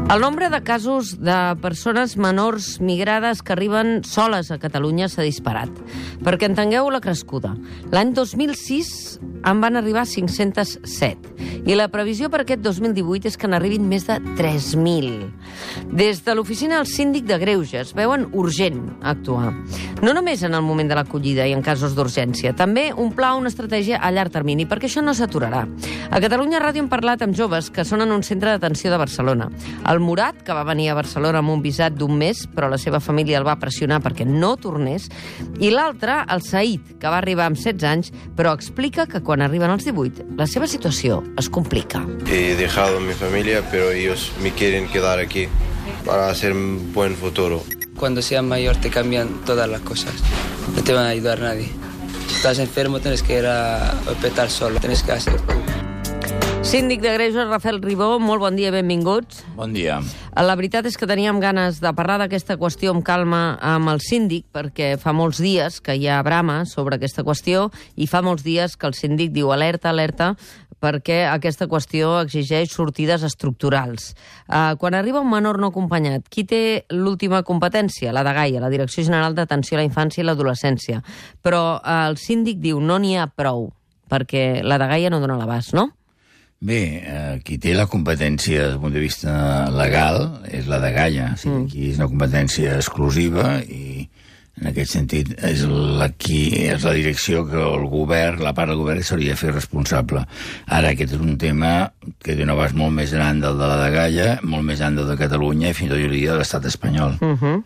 El nombre de casos de persones menors migrades que arriben soles a Catalunya s'ha disparat. Perquè entengueu la crescuda. L'any 2006 en van arribar 507 i la previsió per aquest 2018 és que n'arribin més de 3.000. Des de l'oficina del síndic de Greuges veuen urgent actuar. No només en el moment de l'acollida i en casos d'urgència, també un pla o una estratègia a llarg termini, perquè això no s'aturarà. A Catalunya Ràdio hem parlat amb joves que són en un centre d'atenció de Barcelona. El Murat, que va venir a Barcelona amb un visat d'un mes, però la seva família el va pressionar perquè no tornés, i l'altre, el Said, que va arribar amb 16 anys, però explica que quan arriben als 18, la seva situació es complica. He dejado mi familia, pero ellos me quieren quedar aquí para hacer un buen futuro. Cuando seas mayor te cambian todas las cosas. No te van a ayudar nadie. Si estás enfermo tienes que ir a hospital solo. Tienes que hacer tú. Síndic de Greuges, Rafael Ribó, molt bon dia, benvinguts. Bon dia. La veritat és que teníem ganes de parlar d'aquesta qüestió amb calma amb el síndic, perquè fa molts dies que hi ha brama sobre aquesta qüestió i fa molts dies que el síndic diu alerta, alerta, perquè aquesta qüestió exigeix sortides estructurals. Quan arriba un menor no acompanyat, qui té l'última competència? La DGAIA, la Direcció General d'Atenció a la Infància i l'Adolescència. Però el síndic diu no n'hi ha prou, perquè la DGAIA no dona l'abast, no? Bé, qui té la competència des del punt de vista legal és la DGAIA. O sigui, aquí és una competència exclusiva i en aquest sentit és la direcció que el govern, la part del govern, s'hauria de fer responsable. Ara, aquest és un tema que té un abast molt més gran del de la DGAIA, molt més gran del de Catalunya i fins i tot jo diria de l'estat espanyol.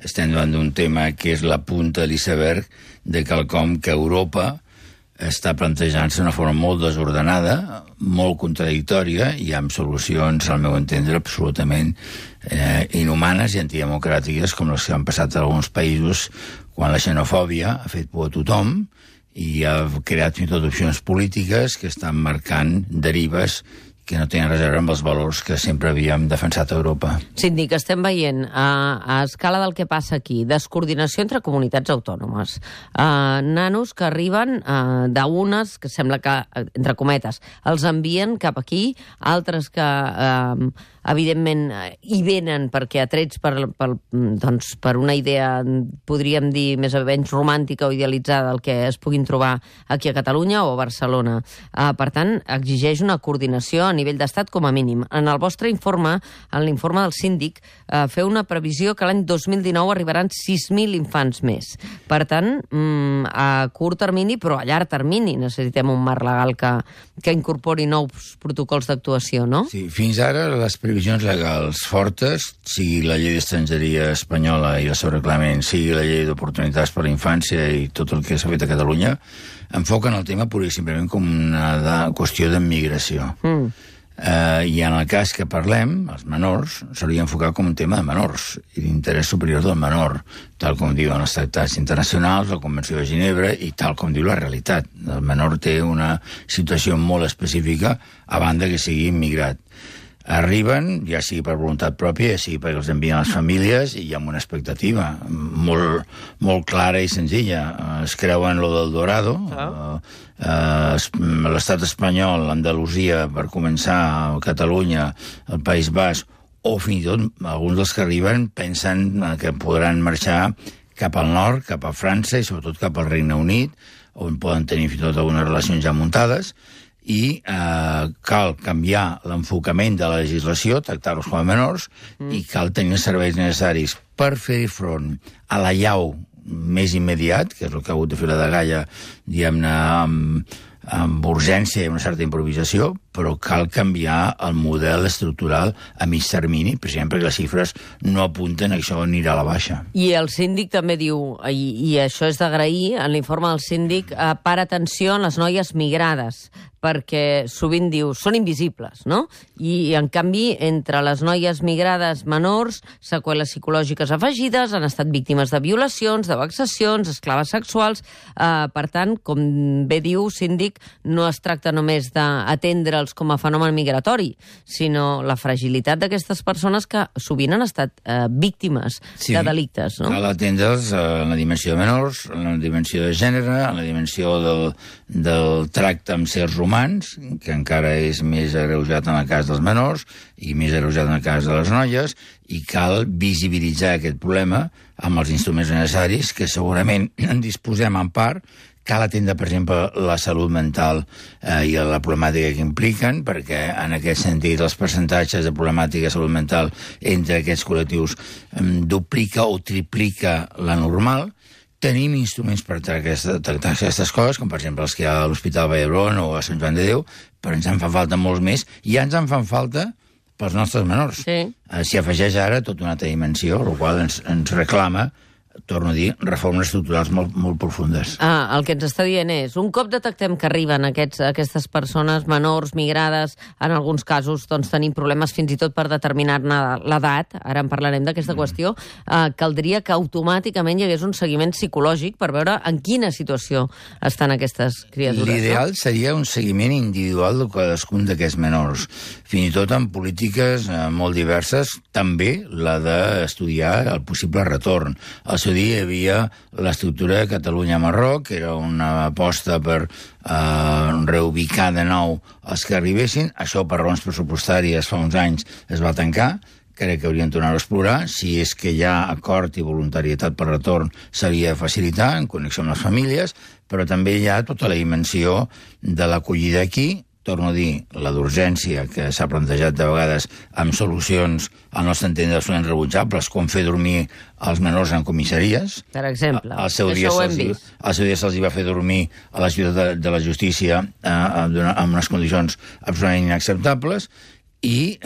Estem davant d'un tema que és la punta de l'iceberg de quelcom que Europa està plantejant-se d'una forma molt desordenada, molt contradictòria i amb solucions, al meu entendre, absolutament inhumanes i antidemocràtiques, com les que han passat a alguns països quan la xenofòbia ha fet por a tothom i ha creat fins i tot opcions polítiques que estan marcant derives que no tenen res a veure amb els valors que sempre havíem defensat a Europa. Síndic, estem veient a escala del que passa aquí, descoordinació entre comunitats autònomes, nanos que arriben d'unes que sembla que, entre cometes, els envien cap aquí, altres que evidentment hi venen perquè atrets per una idea, podríem dir, més o menys romàntica o idealitzada del que es puguin trobar aquí a Catalunya o a Barcelona. Per tant, exigeix una coordinació a nivell d'estat com a mínim. En el vostre informe, en l'informe del síndic, feu una previsió que l'any 2019 arribaran 6.000 infants més. Per tant, a curt termini, però a llarg termini, necessitem un marc legal que incorpori nous protocols d'actuació, no? Sí, fins ara les previsions legals fortes, sigui la llei d'estrangeria espanyola i el seu reglament, sigui la llei d'oportunitats per a la infància i tot el que s'ha fet a Catalunya, enfoquen el tema pur i simplement com una qüestió d'immigració. I en el cas que parlem, els menors, s'hauria d'enfocar com un tema de menors i d'interès superior del menor, tal com diuen els tractats internacionals, la Convenció de Ginebra i tal com diu la realitat. El menor té una situació molt específica a banda que sigui immigrat. Arriben, ja sigui per voluntat pròpia, ja sigui perquè els envien les famílies i amb una expectativa molt clara i senzilla. Es creuen lo del Dorado, l'estat espanyol, Andalusia, per començar, Catalunya, el País Basc, o fins i tot alguns dels que arriben pensen que podran marxar cap al nord, cap a França i sobretot cap al Regne Unit, on poden tenir fins i tot algunes relacions ja muntades, i cal canviar l'enfocament de la legislació, tractar-los com a menors, i cal tenir els serveis necessaris per fer front a la llau més immediat, que és el que ha hagut de fer la DGAIA, diguem-ne, amb urgència i una certa improvisació, però cal canviar el model estructural a mig termini, precisament perquè les xifres no apunten a que això anirà a la baixa. I el síndic també diu, i això és d'agrair, en l'informe del síndic, para atenció en les noies migrades, perquè sovint diu, són invisibles, no? I, en canvi, entre les noies migrades menors, seqüeles psicològiques afegides, han estat víctimes de violacions, de vexacions, esclaves sexuals. Per tant, com bé diu, síndic, no es tracta només d'atendre veure'ls com a fenomen migratori, sinó la fragilitat d'aquestes persones que sovint han estat víctimes de delictes. No? Cal atendre'ls en la dimensió de menors, en la dimensió de gènere, en la dimensió del tracte amb sers humans, que encara és més agreujat en el cas dels menors i més agreujat en el cas de les noies, i cal visibilitzar aquest problema amb els instruments necessaris, que segurament en disposem en part. Cal atendre, per exemple, la salut mental i la problemàtica que impliquen, perquè en aquest sentit els percentatges de problemàtica de salut mental entre aquests col·lectius duplica o triplica la normal. Tenim instruments per tractar aquestes coses, com per exemple els que hi ha a l'Hospital Vall d'Hebron o a Sant Joan de Déu, però ens en fan falta molts més, i ja ens en fan falta pels nostres menors. Sí. S'hi afegeix ara tota una altra dimensió, el qual ens reclama, torno a dir, reformes estructurals molt profundes. El que ens està dient és, un cop detectem que arriben aquestes persones menors, migrades, en alguns casos doncs, tenim problemes fins i tot per determinar-ne l'edat, ara en parlarem d'aquesta qüestió, caldria que automàticament hi hagués un seguiment psicològic per veure en quina situació estan aquestes criatures. L'ideal seria un seguiment individual de cadascun d'aquests menors, fins i tot amb polítiques molt diverses, també la d'estudiar el possible retorn. Al seu dia hi havia l'estructura de Catalunya-Marroc, que era una aposta per reubicar de nou els que arribessin. Això, per raons pressupostàries, fa uns anys es va tancar. Crec que haurien tornat a explorar. Si és que hi ha acord i voluntarietat per retorn, s'havia de facilitar en connexió amb les famílies, però també hi ha tota la dimensió de l'acollida aquí. Torno a dir, la d'urgència, que s'ha plantejat de vegades amb solucions, al nostre entendre, absolutament rebutjables, com fer dormir els menors en comissaries. Per exemple, això ho hem vist. Al seu dia se'ls va fer dormir a la ciutat de la justícia en unes condicions absolutament inacceptables, i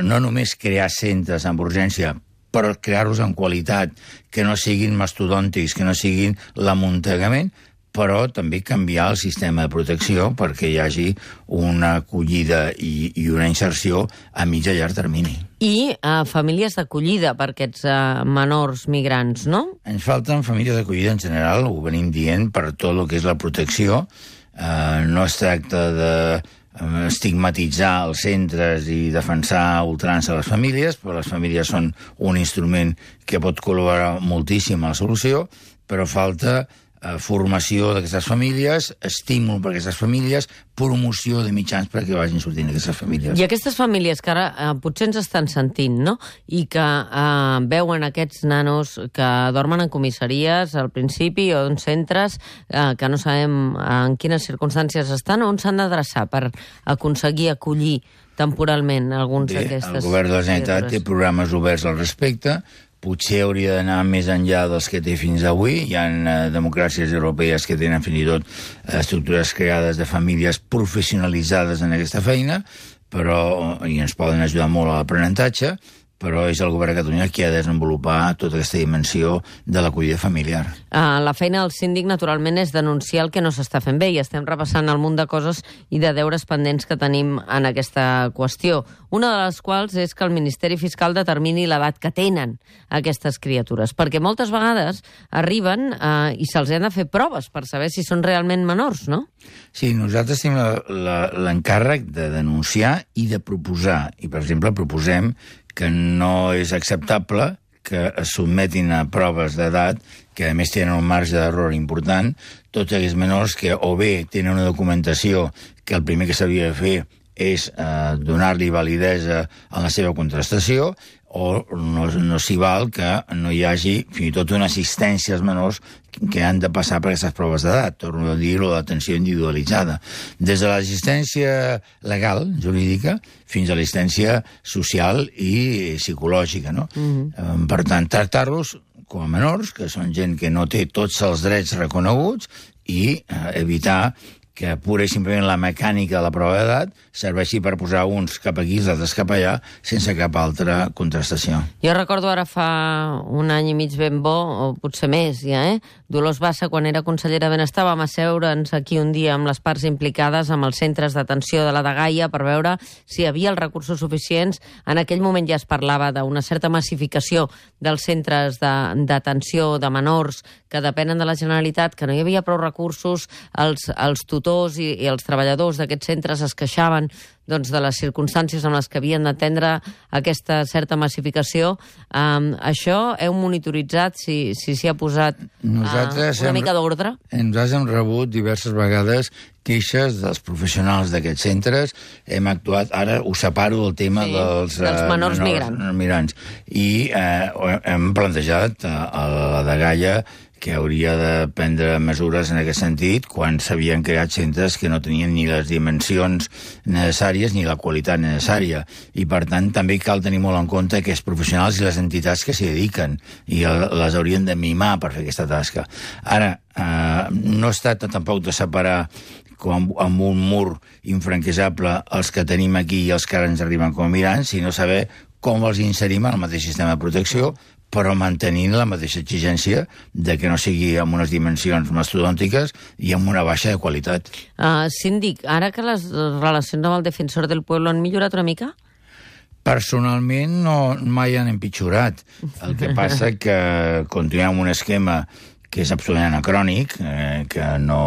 no només crear centres amb urgència, però crear-los amb qualitat, que no siguin mastodòntics, que no siguin l'amuntegament, però també canviar el sistema de protecció perquè hi hagi una acollida i una inserció a mig i llarg termini. I famílies d'acollida per aquests menors migrants, no? Ens falten famílies d'acollida en general, ho venim dient, per tot el que és la protecció. No es tracta de estigmatitzar els centres i defensar a ultrança les famílies, però les famílies són un instrument que pot col·laborar moltíssim a la solució, però falta formació d'aquestes famílies, estímul per a aquestes famílies, promoció de mitjans perquè vagin sortint aquestes famílies. I aquestes famílies que ara potser ens estan sentint, no?, i que veuen aquests nanos que dormen en comissaries al principi o en centres que no sabem en quines circumstàncies estan, on s'han d'adreçar per aconseguir acollir temporalment alguns d'aquestes... El govern de la Generalitat té programes oberts al respecte. Potser hauria d'anar més enllà dels que té fins avui. Hi ha democràcies europees que tenen fins i tot estructures creades de famílies professionalitzades en aquesta feina, i ens poden ajudar molt a l'aprenentatge, però és el govern de Catalunya qui ha de desenvolupar tota aquesta dimensió de l'acollida familiar. La feina del síndic, naturalment, és denunciar el que no s'està fent bé, i estem repassant el munt de coses i de deures pendents que tenim en aquesta qüestió. Una de les quals és que el Ministeri Fiscal determini l'edat que tenen aquestes criatures, perquè moltes vegades arriben i se'ls han de fer proves per saber si són realment menors, no? Sí, nosaltres tenim l'encàrrec de denunciar i de proposar. I, per exemple, proposem que no és acceptable que es sotmetin a proves d'edat, que a més tenen un marge d'error important, tots aquells menors que o bé tenen una documentació que el primer que s'hauria de fer és donar-li validesa a la seva contrastació, o no s'hi val que no hi hagi fins i tot una assistència als menors que han de passar per aquestes proves d'edat, torno a dir-ho, l'atenció individualitzada. Des de l'assistència legal, jurídica, fins a l'assistència social i psicològica, no? Per tant, tractar-los com a menors, que són gent que no té tots els drets reconeguts, i evitar que pura i simplement la mecànica de la prova d'edat serveixi per posar uns cap aquí i els altres cap allà sense cap altra contrastació. Jo recordo ara fa un any i mig ben bo, o potser més ja, Dolors Bassa, quan era consellera de Benestar, vam asseure'ns aquí un dia amb les parts implicades, amb els centres d'atenció de la Dgaia, per veure si hi havia els recursos suficients. En aquell moment ja es parlava d'una certa massificació dels centres d'atenció de menors que depenen de la Generalitat, que no hi havia prou recursos, els tutors tutors i els treballadors d'aquests centres es queixaven de les circumstàncies en les que havien d'atendre aquesta certa massificació. Això heu monitoritzat si s'hi ha posat una mica d'ordre? Nosaltres hem rebut diverses vegades queixes dels professionals d'aquests centres. Hem actuat, ara ho separo del tema dels menors migrants. I hem plantejat a la dgaia que hauria de prendre mesures en aquest sentit quan s'havien creat centres que no tenien ni les dimensions necessàries ni la qualitat necessària. I, per tant, també cal tenir molt en compte aquests professionals i les entitats que s'hi dediquen i les haurien de mimar per fer aquesta tasca. Ara, no es tracta tampoc de separar amb un mur infranquejable els que tenim aquí i els que ara ens arriben com a migrants, sinó saber com els inserim en el mateix sistema de protecció, però mantenint la mateixa exigència de que no sigui amb unes dimensions mastodòntiques i amb una baixa de qualitat. Síndic, ara que les relacions amb el Defensor del Pueblo han millorat una mica? Personalment mai han empitjorat. El que passa que continuem amb un esquema que és absolutament anacrònic, que no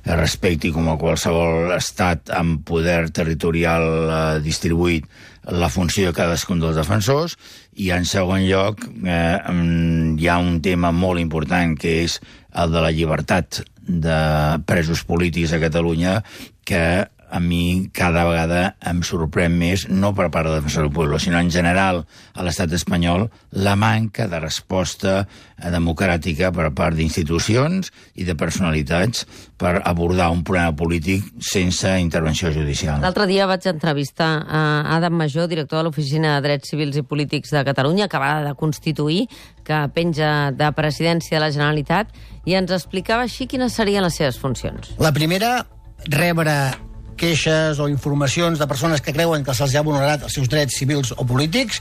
es respecti com a qualsevol estat amb poder territorial distribuït la funció de cadascun dels defensors, i en segon lloc hi ha un tema molt important que és el de la llibertat de presos polítics a Catalunya, que a mi cada vegada em sorprèn més, no per part del Defensor del Pueblo, sinó en general a l'estat espanyol, la manca de resposta democràtica per part d'institucions i de personalitats per abordar un problema polític sense intervenció judicial. L'altre dia vaig entrevistar a Adam Majó, director de l'Oficina de Drets Civils i Polítics de Catalunya, acabada de constituir, que penja de Presidència de la Generalitat, i ens explicava així quines serien les seves funcions. La primera, rebre queixes o informacions de persones que creuen que se'ls ha vulnerat els seus drets civils o polítics.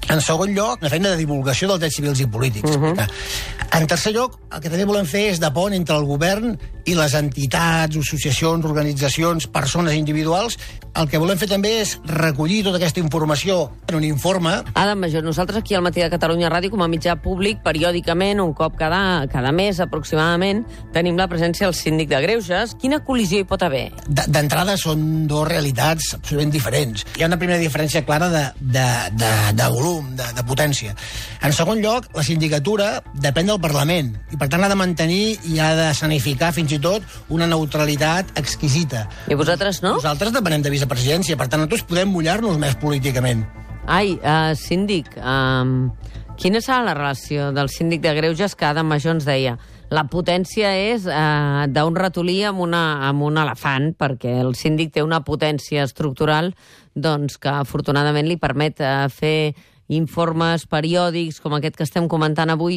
En segon lloc, una feina de divulgació dels drets civils i polítics. En tercer lloc, el que també volem fer és de pont entre el govern i les entitats, associacions, organitzacions, persones individuals. El que volem fer també és recollir tota aquesta informació en un informe. Adam Majó, nosaltres aquí al Matí de Catalunya Ràdio, com a mitjà públic, periòdicament, un cop cada mes aproximadament, tenim la presència del síndic de Greuges. Quina col·lisió hi pot haver? D'entrada són dues realitats absolutament diferents. Hi ha una primera diferència clara de volum, de potència. En segon lloc, la sindicatura depèn del Parlament i, per tant, ha de mantenir i ha de sanificar fins i tot una neutralitat exquisita. I vosaltres no? Nosaltres depenem de vicepresidència, per tant, nosaltres podem mullar-nos més políticament. Síndic, quina serà la relació del síndic de Greuges que Adam Majó ens deia? La potència és d'un ratolí amb un elefant, perquè el síndic té una potència estructural que afortunadament li permet fer informes periòdics com aquest que estem comentant avui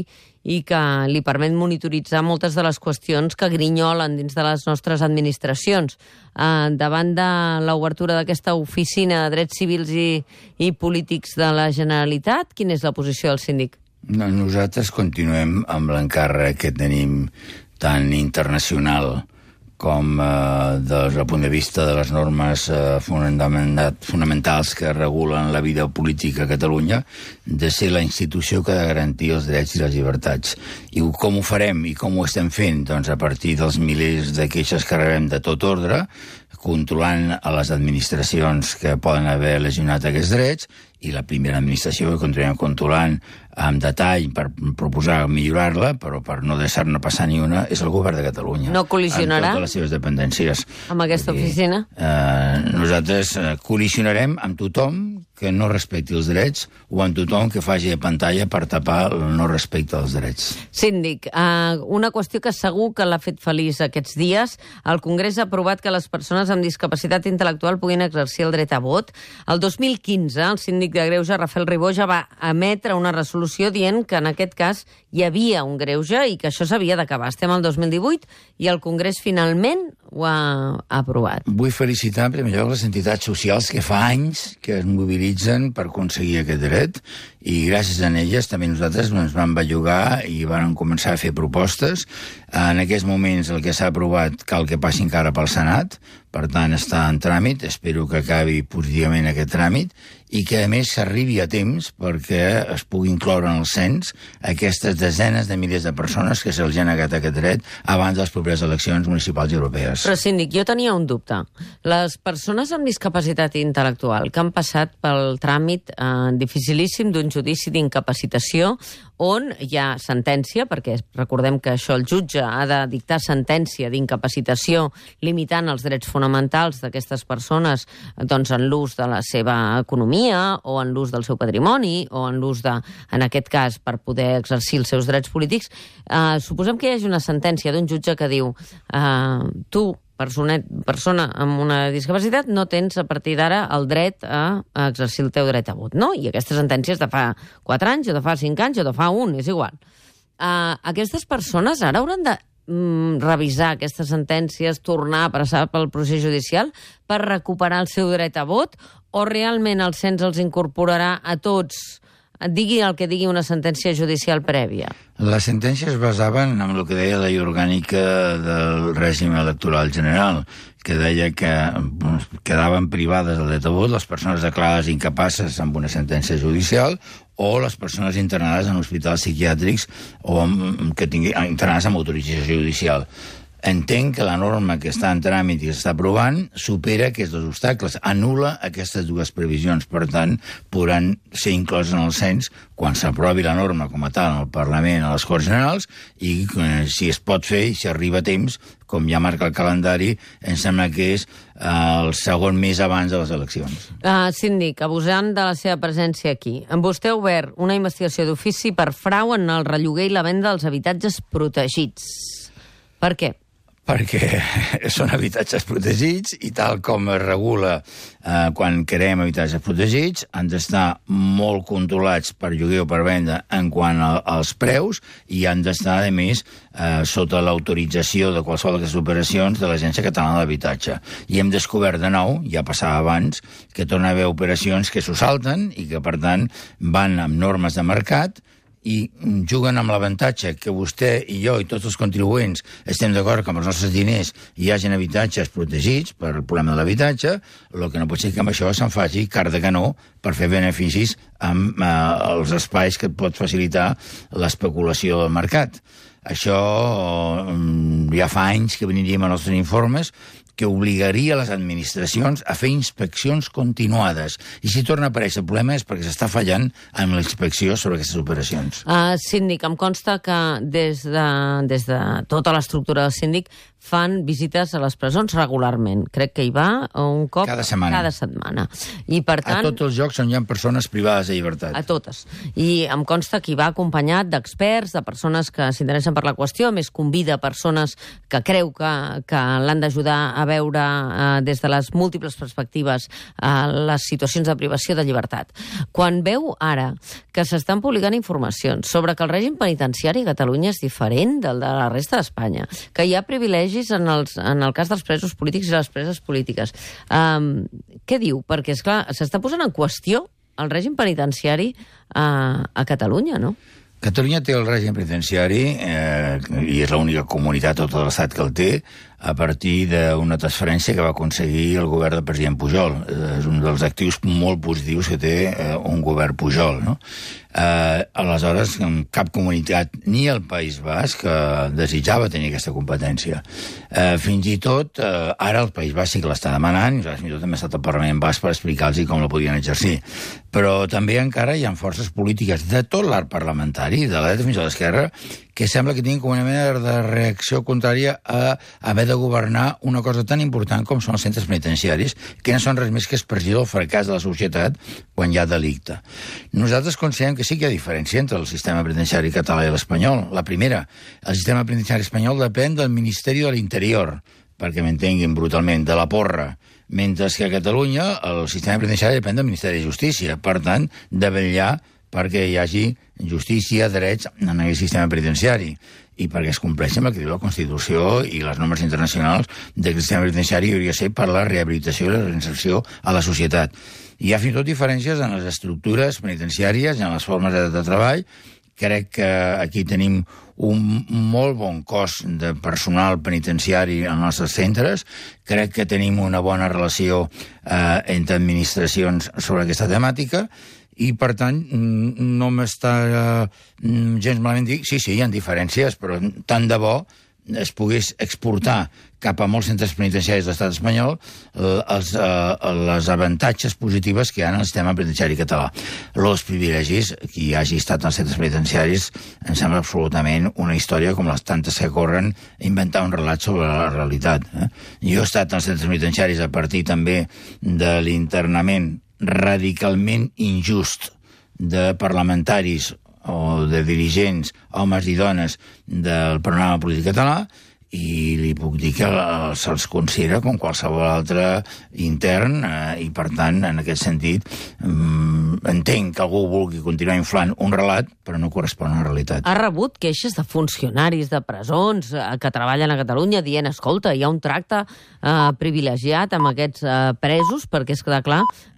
i que li permet monitoritzar moltes de les qüestions que grinyolen dins de les nostres administracions. Davant de l'obertura d'aquesta oficina de drets civils i polítics de la Generalitat, quina és la posició del síndic? Nosaltres continuem amb l'encàrrec que tenim tan internacional com des del punt de vista de les normes fonamentals que regulen la vida política a Catalunya, de ser la institució que ha de garantir els drets i les llibertats. I com ho farem i com ho estem fent? Doncs a partir dels milers de queixes que rebem de tot ordre, controlant a les administracions que poden haver lesionat aquests drets, i la primera administració que continuem controlant amb detall per proposar millorar-la, però per no deixar-ne passar ni una, és el govern de Catalunya. No col·lisionarà? Amb totes les seves dependències. Amb aquesta oficina? Nosaltres col·lisionarem amb tothom que no respecti els drets o amb tothom que faci de pantalla per tapar el no respecte als drets. Síndic, una qüestió que segur que l'ha fet feliç aquests dies. El Congrés ha aprovat que les persones amb discapacitat intel·lectual puguin exercir el dret a vot. El 2015, el síndic de Greuges, Rafael Ribó, ja va emetre una resolució dient que en aquest cas hi havia un greuge i que això s'havia d'acabar. Estem al 2018 i el Congrés finalment ho ha aprovat. Vull felicitar en primer lloc les entitats socials que fa anys que es mobilitzen per aconseguir aquest dret, i gràcies a elles també nosaltres ens vam bellugar i vam començar a fer propostes. En aquests moments el que s'ha aprovat cal que passi encara pel Senat, per tant està en tràmit, espero que acabi positivament aquest tràmit, i que a més s'arribi a temps perquè es pugui incloure en el cens aquestes desenes de milers de persones que se'ls ha negat aquest dret abans de les properes eleccions municipals i europees. Però, síndic, jo tenia un dubte. Les persones amb discapacitat intel·lectual que han passat pel tràmit dificilíssim d'un judici d'incapacitació on hi ha sentència, perquè recordem que això el jutge ha de dictar sentència d'incapacitació limitant els drets fonamentals d'aquestes persones doncs, en l'ús de la seva economia o en l'ús del seu patrimoni o en l'ús de, en aquest cas, per poder exercir els seus drets polítics. Suposem que hi hagi una sentència d'un jutge que diu tu, persona amb una discapacitat, no tens a partir d'ara el dret a exercir el teu dret a vot, no? I aquesta sentència és de fa 4 anys, o de fa 5 anys, o de fa 1, és igual. Aquestes persones ara hauran de revisar aquestes sentències, tornar a passar pel procés judicial per recuperar el seu dret a vot, o realment el cens els incorporarà a tots, digui el que digui una sentència judicial prèvia? Les sentències es basaven en el que deia la llei orgànica del règim electoral general, que deia que quedaven privades del dret a vot les persones declarades incapaces amb una sentència judicial o les persones internades en hospitals psiquiàtrics o que internades amb autorització judicial. Entenc que la norma que està en tràmit i que s'està aprovant supera aquests 2 obstacles, anul·la aquestes 2 previsions. Per tant, podran ser incloses en el cens quan s'aprovi la norma com a tal en el Parlament, a les Corts Generals, i si es pot fer i si arriba a temps, com ja marca el calendari, em sembla que és el segon mes abans de les eleccions. Síndic, abusant de la seva presència aquí, vostè ha obert una investigació d'ofici per frau en el relloguer i la venda dels habitatges protegits. Per què? Perquè són habitatges protegits i tal com es regula quan creem habitatges protegits, han d'estar molt controlats per lloguer o per venda en quant als preus i han d'estar, a més, sota l'autorització de qualsevol d'aquestes operacions de l'Agència Catalana de l'Habitatge. I hem descobert de nou, ja passava abans, que torna a haver operacions que s'ho salten i que, per tant, van amb normes de mercat i juguen amb l'avantatge que vostè i jo i tots els contribuents estem d'acord que amb els nostres diners hi hagin habitatges protegits per el problema de l'habitatge, el que no pot ser que amb això se'n faci car de canó per fer beneficis amb els espais que et pot facilitar l'especulació del mercat. Això ja fa anys que veniríem als nostres informes que obligaria les administracions a fer inspeccions continuades. I si torna a aparèixer el problema és perquè s'està fallant amb la inspecció sobre aquestes operacions. Síndic, em consta que des de tota l'estructura del síndic fan visites a les presons regularment. Crec que hi va un cop cada setmana. I, per tant, a tots els llocs on hi ha persones privades de llibertat. A totes. I em consta que hi va acompanyat d'experts, de persones que s'interessen per la qüestió, més convida persones que creu que l'han d'ajudar a veure des de les múltiples perspectives les situacions de privació de llibertat. Quan veu ara que s'estan publicant informacions sobre que el règim penitenciari a Catalunya és diferent del de la resta d'Espanya, que hi ha privilegis en el cas dels presos polítics i les preses polítiques, què diu? Perquè, esclar, s'està posant en qüestió el règim penitenciari a Catalunya, no? Catalunya té el règim penitenciari i és l'única comunitat a tot l'estat que el té a partir d'una transferència que va aconseguir el govern del president Pujol. És un dels actius molt positius que té un govern Pujol, no? Aleshores, cap comunitat, ni el País Basc, desitjava tenir aquesta competència. Fins i tot, ara el País Basc sí que l'està demanant, i fins i tot també ha estat el Parlament Basc per explicar-los com la podien exercir. Però també encara hi ha forces polítiques de tot l'arc parlamentari, de la dreta fins a l'esquerra, que sembla que tinguin com una mena de reacció contrària a haver de governar una cosa tan important com són els centres penitenciaris, que no són res més que expressió del fracàs de la societat quan hi ha delicte. Nosaltres considerem que sí que hi ha diferència entre el sistema penitenciari català i l'espanyol. La primera, el sistema penitenciari espanyol depèn del Ministeri de l'Interior, perquè m'entenguin brutalment, de la porra, mentre que a Catalunya el sistema penitenciari depèn del Ministeri de Justícia, per tant, de vetllar perquè hi hagi justícia, drets en aquest sistema penitenciari i perquè es compleixi amb el que diu la Constitució i les normes internacionals del sistema penitenciari hauria de ser per la rehabilitació i la reinserció a la societat. Hi ha fins i tot diferències en les estructures penitenciàries i en les formes de treball crec que aquí tenim un molt bon cos de personal penitenciari als nostres centres. Crec que tenim una bona relació entre administracions sobre aquesta temàtica i, per tant, no m'està gens malament dir... Sí, hi ha diferències, però tant de bo es pogués exportar cap a molts centres penitenciaris de l'estat espanyol les avantatges positives que hi ha en el sistema penitenciari català. Els privilegis, qui hagi estat als centres penitenciaris, em sembla absolutament una història com les tantes que corren a inventar un relat sobre la realitat. Jo he estat als centres penitenciaris a partir també de l'internament radicalment injust de parlamentaris o de dirigents, homes i dones del panorama polític català, i li puc dir que se'ls considera com qualsevol altre intern i, per tant, en aquest sentit, entenc que algú vulgui continuar inflant un relat, però no correspon a la realitat. Ha rebut queixes de funcionaris de presons que treballen a Catalunya dient, escolta, hi ha un tracte privilegiat amb aquests presos, perquè és clar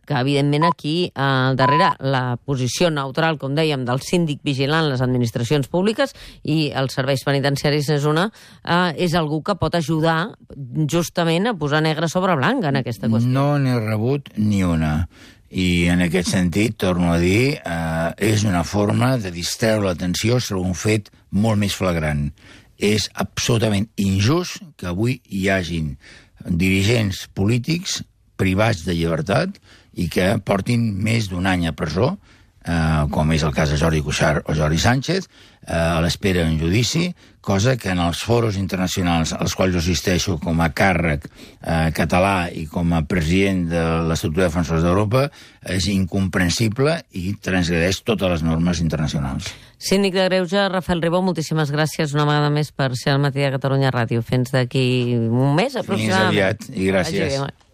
que, evidentment, aquí darrere la posició neutral, com dèiem, del síndic vigilant les administracions públiques i els serveis penitenciaris és algú que pot ajudar justament a posar negre sobre blanc en aquesta qüestió. No n'he rebut ni una. I en aquest sentit, torno a dir, és una forma de distreure l'atenció sobre un fet molt més flagrant. És absolutament injust que avui hi hagin dirigents polítics privats de llibertat i que portin més d'un any a presó, com és el cas de Jordi Cuixart o Jordi Sánchez, a l'espera d'un judici, cosa que en els foros internacionals als quals jo assisteixo com a càrrec català i com a president de l'Estructura de Defensors d'Europa és incomprensible i transgredeix totes les normes internacionals. Síndic de Greuges, Rafael Ribó, moltíssimes gràcies una vegada més per ser al Matí de Catalunya Ràdio. Fins d'aquí un mes, aproximadament. Fins aviat, i gràcies.